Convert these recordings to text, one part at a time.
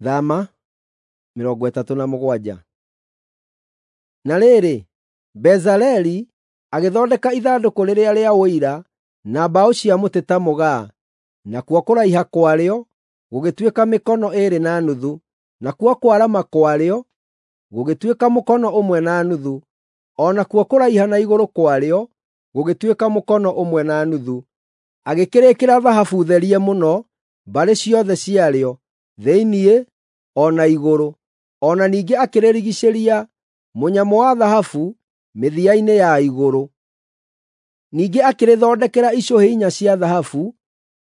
Thama 37. Na rĩrĩ, Bezaleli agĩthondeka ithandũkũ rĩrĩa rĩa Ũira na mbaũ cia mũtĩ ta mũgaa, nakuo kũraiha kwarĩo gũgĩtuĩka mĩkono 2.5, nakuo kwarama kwarĩo gũgĩtuĩka mũkono 1.5, o nakuo kũraiha na igũrũ kwarĩo gũgĩtuĩka mũkono 1.5. Agĩkĩrĩkĩra thahabu therie mũno mbarĩ ciothe ciarĩo, thĩinĩ o na igũrũ. O na ningĩ akĩrĩrigiicĩria mũnyamũ wa thahabu mĩthia-inĩ ya igũrũ. Ningĩ akĩrĩthondekera icũhĩ inya cia thahabu,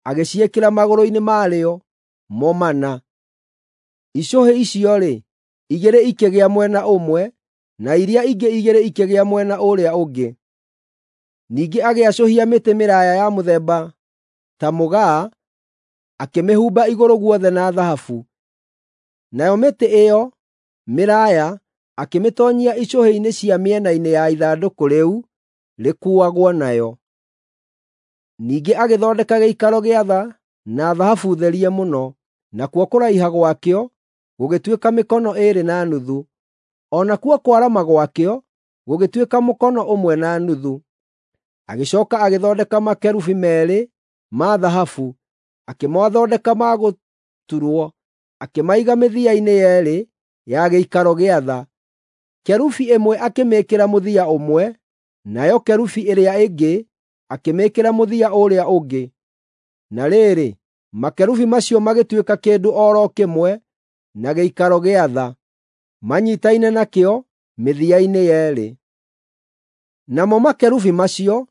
agĩciĩkĩra magũrũ-inĩ marĩo mo mana. Icũhĩ icio-rĩ, igĩrĩ ikĩgĩa mwena ũmwe, na iria ingĩ igĩrĩ ikĩgĩa mwena ũrĩa ũngĩ. Ningĩ agĩacũhia mĩtĩ mĩraaya ya mũthemba ta mũgaa, akĩmĩhumba igũrũ guothe na thahabu. Nayo mĩtĩ ĩyo mĩraaya akĩmĩtoonyia icũhĩ-inĩ cia mĩena-inĩ ya ithandũkũ rĩu rĩkuuagwo nayo. Ningĩ agĩthondeka gĩikaro gĩa tha na thahabu therie mũno, nakuo kũraiha gwakĩo gũgĩtuĩka mĩkono 2.5, o nakuo kwarama gwakĩo gũgĩtuĩka mũkono 1.5. Agĩcooka agĩthondeka makerubi meerĩ ma thahabu, akĩmathondeka ma gũturwo, akĩmaiga mĩthia-inĩ yeerĩ ya gĩikaro gĩa tha. Kerubi ĩmwe akĩmĩĩkĩra mũthia ũmwe, nayo kerubi ĩrĩa ĩngĩ akĩmĩĩkĩra mũthia ũrĩa ũngĩ. Na rĩrĩ, makerubi macio magĩtuĩka kĩndũ o ro kĩmwe na gĩikaro gĩa tha, manyiitaine nakĩo mĩthia-inĩ yeerĩ. Namo makerubi macio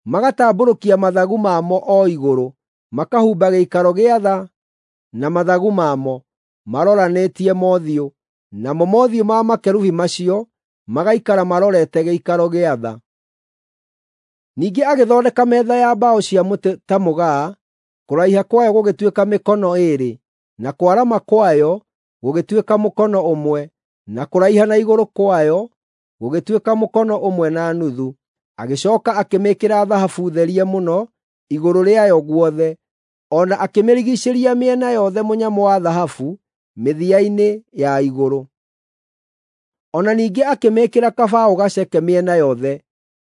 magatambũrũkia mathagu mamo o igũrũ, makahumba gĩikaro gĩa tha na mathagu mamo, maroranĩtie mothiũ, namo mothiũ ma makerubi macio magaikara marorete gĩikaro gĩa tha. Ningĩ agĩthondeka metha ya mbaũ cia mũtĩ ta mũgaa, kũraiha kwayo gũgĩtuĩka mĩkono 2, na kwarama kwayo gũgĩtuĩka mũkono 1, na kũraiha na igũrũ kwayo gũgĩtuĩka mũkono 1.5. Agĩcooka akĩmĩĩkĩra thahabu therie mũno igũrũ rĩayo guothe, o na akĩmĩrigiicĩria mĩena yothe mũnyamũ wa thahabu mĩthia-inĩ ya igũrũ. O na ningĩ akĩmĩĩkĩra kabaũ gaceke mĩena yothe,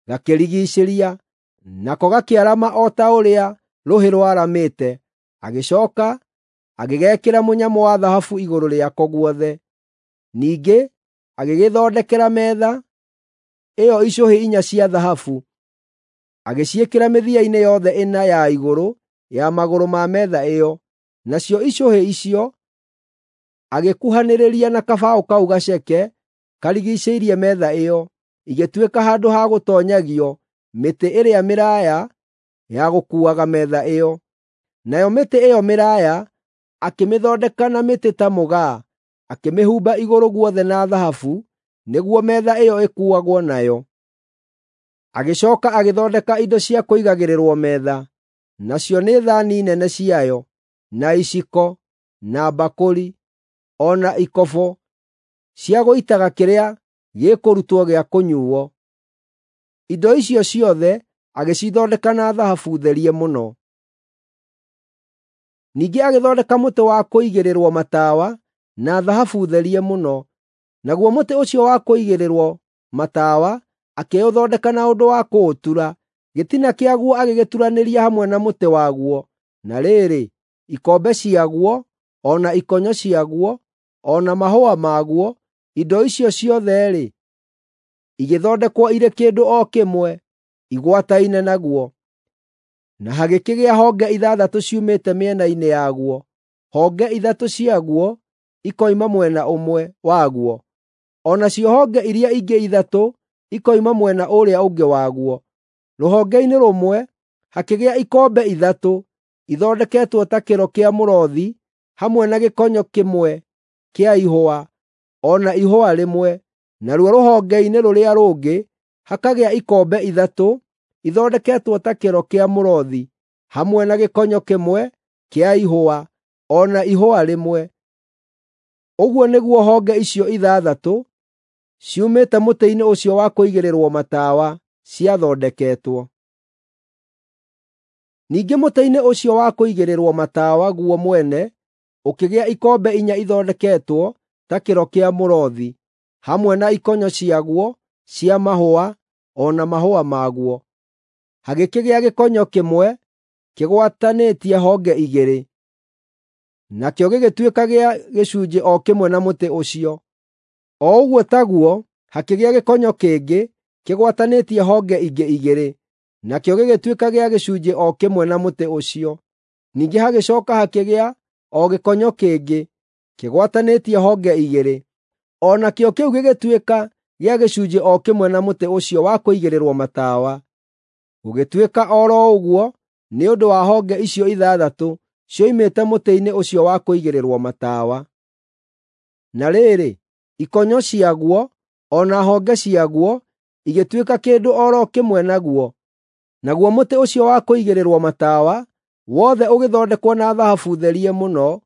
gakĩrigiicĩria, nako gakĩarama o ta ũrĩa rũhĩ rwaramĩte. Agĩcooka agĩgekĩra mũnyamũ wa thahabu igũrũ rĩako guothe. Ningĩ agĩgĩthondekera metha ĩyo icũhĩ inya cia thahabu, agĩciĩkĩra mĩthia-inĩ yothe ĩna ya igũrũ ya magũrũ ma metha ĩyo. Nacio icũhĩ icio agĩkuhanĩrĩria na kabaũ kau gaceke karigiicĩirie metha ĩyo, igĩtuĩka handũ ha gũtoonyagio mĩtĩ ĩrĩa mĩraaya ya gũkuuaga metha ĩyo. Nayo mĩtĩ ĩyo mĩraaya akĩmĩthondeka na mĩtĩ ta mũgaa, akĩmĩhumba igũrũ guothe na thahabu nĩguo metha ĩyo ĩkuuagwo nayo. Agĩcooka agĩthondeka indo cia kũigagĩrĩrwo metha, nacio nĩ thaani nene ciayo, na iciko, na mbakũri, o na ikobo cia gũitaga kĩrĩa gĩkũrutwo gĩa kũnyuuo. Indo icio ciothe agĩcithondeka na thahabu therie mũno. Ningĩ agĩthondeka mũtĩ wa kũigĩrĩrwo matawa na thahabu therie mũno. Naguo mũtĩ ũcio wa kũigĩrĩrwo matawa akĩũthondeka na ũndũ wa kũũtura. Gĩtina kĩaguo agĩgĩturanĩria hamwe na mũtĩ waguo. Na rĩrĩ, ikombe ciaguo, o na ikonyo ciaguo, o na mahũa maguo, indo icio ciothe-rĩ, igĩthondekwo irĩ kĩndũ o kĩmwe, igwataine naguo. Na hagĩkĩgĩa honge ithathatũ ciumĩte mĩena-inĩ yaguo, honge ithatũ ciaguo ikoima mwena ũmwe waguo, o nacio honge iria ingĩ ithatũ ikoima mwena ũrĩa ũngĩ waguo. Rũhonge-inĩ rũmwe hakĩgĩa ikombe ithatũ ithondeketwo ta kĩro kĩa mũrothi hamwe na gĩkonyo kĩmwe kĩa ihũa, o na ihũa rĩmwe; naruo rũhonge-inĩ rũrĩa rũngĩ hakagĩa ikombe ithatũ ithondeketwo ta kĩro kĩa mũrothi hamwe na gĩkonyo kĩmwe kĩa ihũa, o na ihũa rĩmwe. Ũguo nĩguo honge icio ithathatũ ciumĩte mũtĩ-inĩ ũcio wa kũigĩrĩrwo matawa ciathondeketwo. Ningĩ mũtĩ-inĩ ũcio wa kũigĩrĩrwo matawa guo mwene ũkĩgĩa ikombe inya ithondeketwo ta kĩro kĩa mũrothi, hamwe na ikonyo ciaguo cia mahũa o na mahũa maguo. Hagĩkĩgĩa gĩkonyo kĩmwe kĩgwatanĩtie honge igĩrĩ, nakĩo gĩgĩtuĩka gĩa gĩcunjĩ o kĩmwe na mũtĩ ũcio. O ũguo taguo hakĩgĩa gĩkonyo kĩngĩ kĩgwatanĩtie honge ingĩ igĩrĩ, nakĩo gĩgĩtuĩka gĩa gĩcunjĩ o kĩmwe na mũtĩ ũcio. Ningĩ hagĩcooka hakĩgĩa o gĩkonyo kĩngĩ kĩgwatanĩtie honge igĩrĩ, o nakĩo kĩu gĩgĩtuĩka gĩa gĩcunjĩ o kĩmwe na mũtĩ ũcio wa kũigĩrĩrwo matawa. Gũgĩtuĩka o ro ũguo nĩ ũndũ wa honge icio ithathatũ cioimĩte mũtĩ-inĩ ũcio wa kũigĩrĩrwo matawa. Na rĩrĩ, ikonyo ciaguo o na honge ciaguo igĩtuĩka kĩndũ o ro kĩmwe naguo. Naguo mũtĩ ũcio wa kũigĩrĩrwo matawa wothe ũgĩthondekwo na thahabu therie mũno,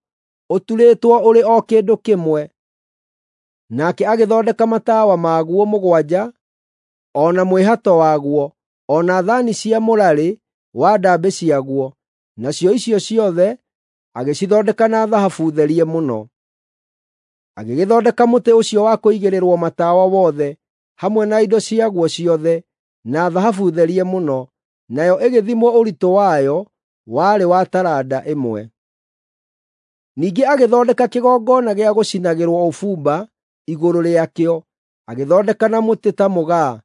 ũturĩtwo ũrĩ o kĩndũ kĩmwe. Nake agĩthondeka matawa maguo mũgwanja, o na mwĩhato waguo, o na thaani cia mũrarĩ wa ndaambĩ ciaguo, nacio icio ciothe agĩcithondeka na thahabu therie mũno. Agĩgĩthondeka mũtĩ ũcio wa kũigĩrĩrwo matawa wothe, hamwe na indo ciaguo ciothe, na thahabu therie mũno, nayo ĩgĩthimwo ũritũ wayo warĩ wa taranda ĩmwe. Ningĩ agĩthondeka kĩgongona gĩa gũcinagĩrwo ũbumba igũrũ rĩakĩo, agĩthondeka na mũtĩ ta mũgaa.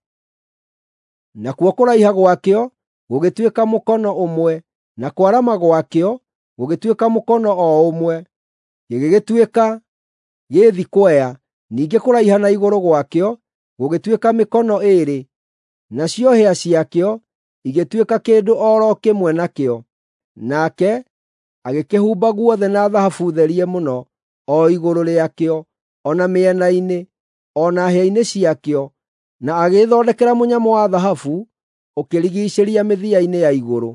Nakuo kũraiha gwakĩo gũgĩtuĩka mũkono ũmwe, na kwarama gwakĩo gũgĩtuĩka mũkono o ũmwe, gĩgĩgĩtuĩka gĩ thikwea. Ningĩ kũraiha na igũrũ gwakĩo gũgĩtuĩka mĩkono ĩĩrĩ, nacio hĩa ciakĩo igĩtuĩka kĩndũ o ro kĩmwe nakĩo. Nake agĩkĩhumba guothe na thahabu therie mũno, o igũrũ rĩakĩo, o na mĩena-inĩ, o na hĩa-inĩ ciakĩo, na agĩgĩthondekera mũnyamũ wa thahabu ũkĩrigiicĩria mĩthia-inĩ ya igũrũ.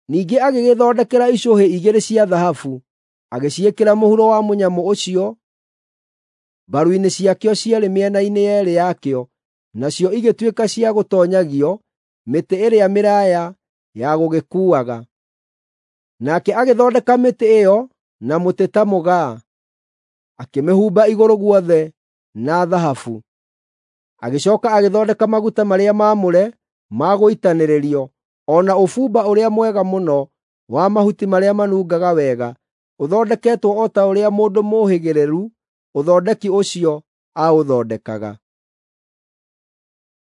Ningĩ agĩgĩthondekera icũhĩ igĩrĩ cia thahabu, agĩciĩkĩra mũhuro wa mũnyamũ ũcio mbaru-inĩ ciakĩo cierĩ mĩena-inĩ yeerĩ yakĩo, nacio igĩtuĩka cia gũtoonyagio mĩtĩ ĩrĩa mĩraaya ya gũgĩkuuaga. Nake agĩthondeka mĩtĩ ĩyo na mũtĩ ta mũgaa, akĩmĩhumba igũrũ guothe na thahabu. Agĩcooka agĩthondeka maguta marĩa maamũre ma gũitanĩrĩrio, o na ũbumba ũrĩa mwega mũno wa mahuti marĩa manungaga wega, ũthondeketwo o ta ũrĩa mũndũ mũũhĩgĩrĩru ũthondeki ũcio aũthondekaga.